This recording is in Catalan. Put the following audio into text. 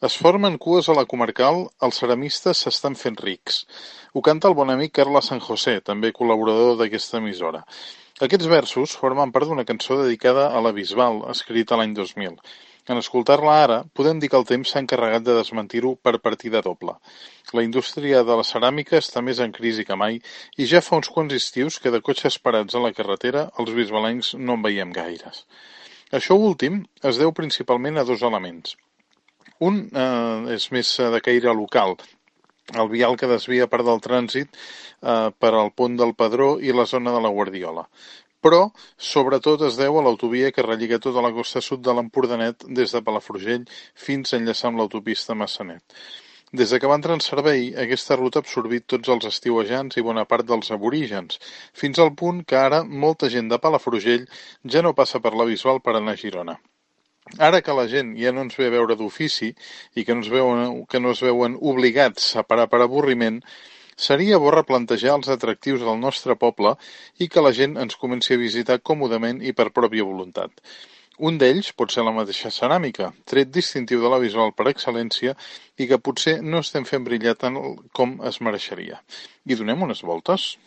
Es formen cues a la comarcal, els ceramistes s'estan fent rics. Ho canta el bon amic Carles San José, també col·laborador d'aquesta emissora. Aquests versos formen part d'una cançó dedicada a la Bisbal, escrita l'any 2000. En escoltar-la ara, podem dir que el temps s'ha encarregat de desmentir-ho per partida doble. La indústria de la ceràmica està més en crisi que mai i ja fa uns quants estius que de cotxes parats a la carretera els bisbalencs no en veiem gaires. Això últim es deu principalment a dos elements. Un és més de caire local, el vial que desvia part del trànsit per al pont del Pedró i la zona de la Guardiola. Però, sobretot, es deu a l'autovia que relliga tota la costa sud de l'Empordanet des de Palafrugell fins a enllaçar amb l'autopista Massanet. Des de que va entrar en servei, aquesta ruta ha absorbit tots els estiuejants i bona part dels aborígens, fins al punt que ara molta gent de Palafrugell ja no passa per la Bisbal per anar a Girona. Ara que la gent ja no ens ve a veure d'ofici i que no es veuen obligats a parar per avorriment, seria bo replantejar els atractius del nostre poble i que la gent ens comenci a visitar còmodament i per pròpia voluntat. Un d'ells pot ser la mateixa ceràmica, tret distintiu de la visual per excel·lència i que potser no estem fent brillar tant com es mereixeria. I donem unes voltes?